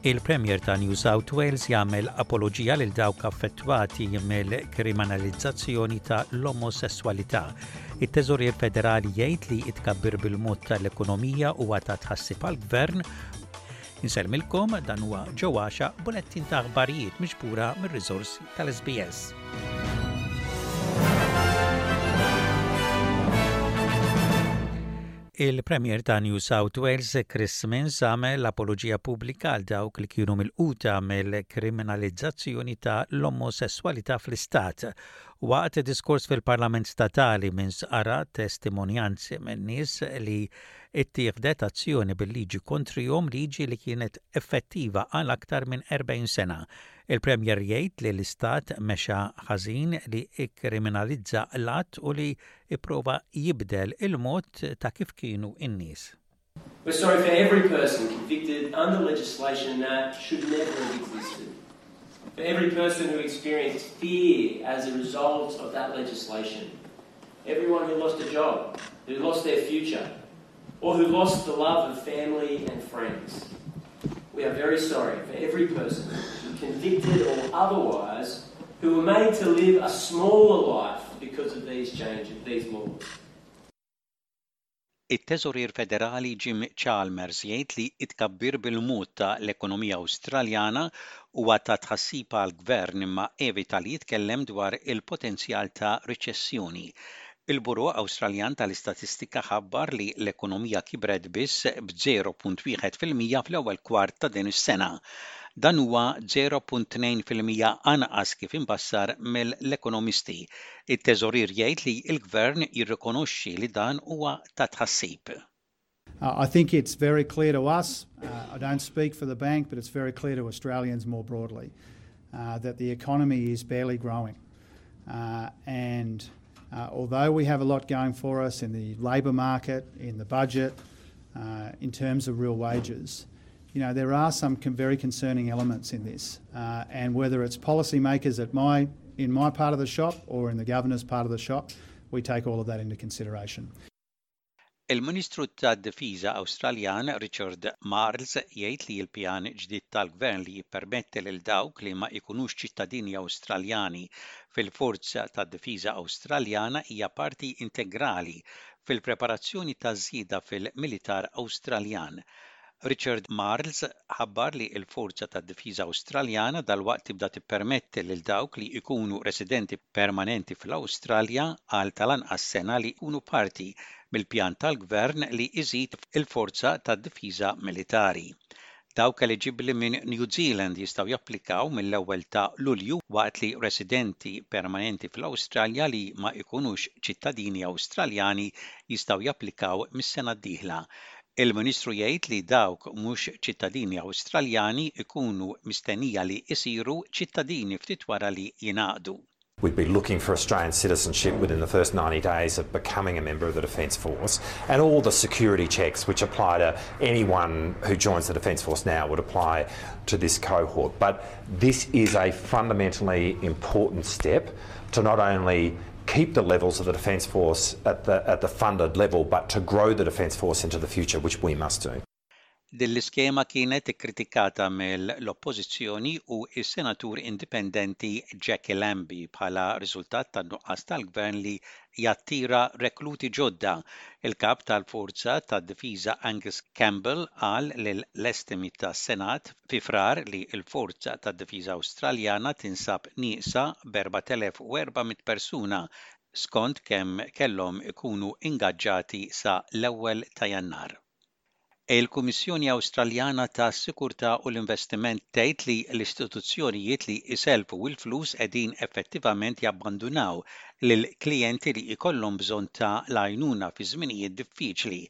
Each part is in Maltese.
Il-Premier ta' New South Wales jagħmel apoloġija lil dawk affettwati mill-kriminalizzazzjoni ta' l-omosesswalità. It-Teżorier Federali jgħid li t-tkabbir bil-mod tal-ekonomija huwa ta' tħassib għall-Gvern. Insellmilkom dan huwa Joe Axiaq bulettin ta' aħbarijiet miġbura mir-riżorsi tal-SBS. Il-Premier ta' New South Wales, Chris Minns, għamel apoloġija pubblika għal dawk li kienu milquta mill-kriminalizzazzjoni ta' l-omosesswalità fl-istat. Waqt diskors fil-Parlament Statali, Minns qara testimonjanzi minn nies li ttieħdet azzjoni bil-liġi kontrihom, liġi li kienet effettiva għal aktar minn 40 sena. Il-Premier jgħid li l-istat mexa ħażin li kkriminalizza l-att u li ipprova jibdel il-mod ta' kif kienu n-nies. We're sorry for every person convicted under legislation that should never have existed. For every person who experienced fear as a result of that legislation. Everyone who lost a job, who lost their future, or who lost the love of family and friends. We are very sorry for every person, convicted or otherwise, who were made to live a smaller life because of these changes, these laws. It-Teżorier Federali Jim Chalmers jgħid li t-tkabbir bil-mod ta' l-ekonomija Awstraljana huwa ta' tħassib għall-Gvern imma evita li jitkellem dwar il-potenzjal ta' riċessjoni. Il-Bureau Awstraljan tal-Istatistika ħabbar li l-ekonomija kibret biss b'0.1% fl-ewwel kwart ta' din is-sena. Dan huwa 0.2% anqas kif imbassar mill-ekonomisti. It-Teżorier jgħid li l-Gvern jirrikonoxxi li dan huwa ta' tħassib. I think it's very clear to us, I don't speak for the bank, but it's very clear to Australians more broadly, that the economy is barely growing. And although we have a lot going for us in the labour market, in the budget, in terms of real wages, you know, there are some very concerning elements in this. And whether it's policymakers at my, in my part of the shop or in the governor's part of the shop, we take all of that into consideration. Il-Ministru tad-Difiża Awstraljan Richard Marles jgħid li l-pjan ġdid tal-Gvern li jippermetti lil dawk li ma jkunux ċittadini Awstraljani fil-Forza tad-Difiża Awstraljana hija parti integrali fil-preparazzjoni ta' żieda fil-militar Awstraljan. Richard Marles ħabbar li l-Forza tad-Difiża Awstraljana dalwaqt tibda tippermetti lil dawk li jkunu residenti permanenti fl-Awstralja għal tal-anqas sena li jkunu parti mill-pjan tal-Gvern li jżid il-forza tad-difiża militari. Dawk eliġibbli minn New Zealand jistgħu japplikaw mill-ewwel ta' Lulju waqt li residenti permanenti fl-Awstralja li ma jkunux ċittadini Awstraljani jistgħu japplikaw mis-sena d-dieħla. Il-Ministru jgħid li dawk mhux ċittadini Awstraljani jkunu mistennija li jsiru ċittadini ftit wara li jingħaqdu. We'd be looking for Australian citizenship within the first 90 days of becoming a member of the Defence Force and all the security checks which apply to anyone who joins the Defence Force now would apply to this cohort. But this is a fundamentally important step to not only keep the levels of the Defence Force at the, at the funded level, but to grow the Defence Force into the future, which we must do. Din l-iskema kienet ikkritikata mill-Oppożizzjoni u s-Senatur Indipendenti Jackie Lambie bħala riżultat tan-nuqqas tal-Gvern li jattira rekluti ġodda. Il-Kap tal-Forza tad-Difiża Angus Campbell qal lill-estimi tas-Senat fi Frar li l-Forza tad-Difiża Awstraljana tinsab nieqsa b'4,400 persuna skont kemm kellhom ikunu ingaġġati sa l-ewwel ta' Jannar. Il-Kummissjoni Awstraljana tas-Sikurtà u l-Investiment tgħid li l-istituzzjonijiet li jsellfu l-flus qegħdin effettivament jabbandunaw lill-klijenti li jkollhom bżonn ta' l-għajnuna fi żminijiet diffiċli.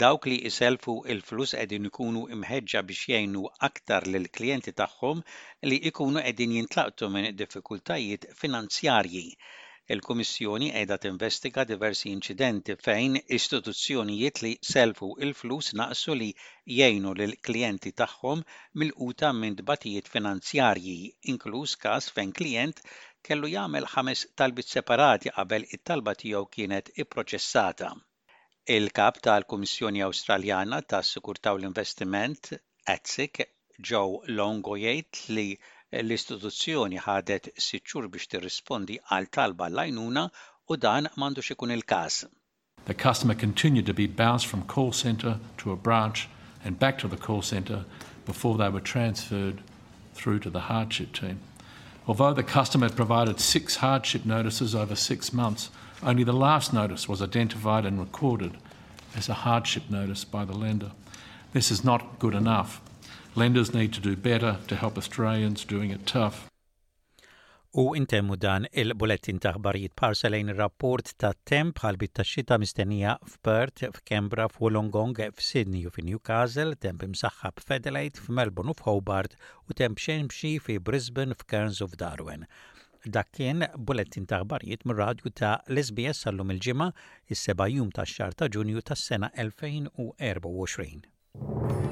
Dawk li jsellfu l-flus qegħdin ikunu mħeġġa biex jgħinu aktar lill-klijenti tagħhom li jkunu qegħdin jintlaqtu minn diffikultajiet finanzjarji. Il-Kummissjoni qiegħda tinvestiga diversi inċidenti fejn istituzzjonijiet li sellfu l-flus naqsu li jgħinu lill-klijenti tagħhom milquta minn tbatijiet finanzjarji, inkluż każ fejn klijent kellu jagħmel ħames talbiet separati qabel it-talba tiegħu kienet ipproċessata. Il-Kap tal-Kummissjoni Awstraljana tas-Sigurtà u l-Investiment, ASIC, Joe Longo jgħid li l-istituzzjoni ħadet sitt xhur biex tirrispondi għal talba għall-għajnuna u dan m'għandux ikun il-każ. The customer continued to be bounced from call centre to a branch and back to the call centre before they were transferred through to the hardship team. Although the customer had provided six hardship notices over six months, only the last notice was identified and recorded as a hardship notice by the lender. This is not good enough. Lenders need to do better to help Australians doing it tough. U intemmu dan il-bulettin ta' aħbarijiet b'ħarsa lejn ir-rapport tat-temp ħalbiet tax-xita mistennija f'Perth, f'Canberra, f'Wollongong, f'Sydney u fi Newcastle, temp imsaħħab f'Adelaide, f'Melbourne u f'Hobart u temp xemxi fi Brisbane, f'Cairns u f'Darwin. Dak kien bulettin ta' aħbarijiet mir-radju ta' l-SBS għal-lum il-Ġimgħa, is-seba' jum tax-xahar ta' Ġunju tas-sena 2024.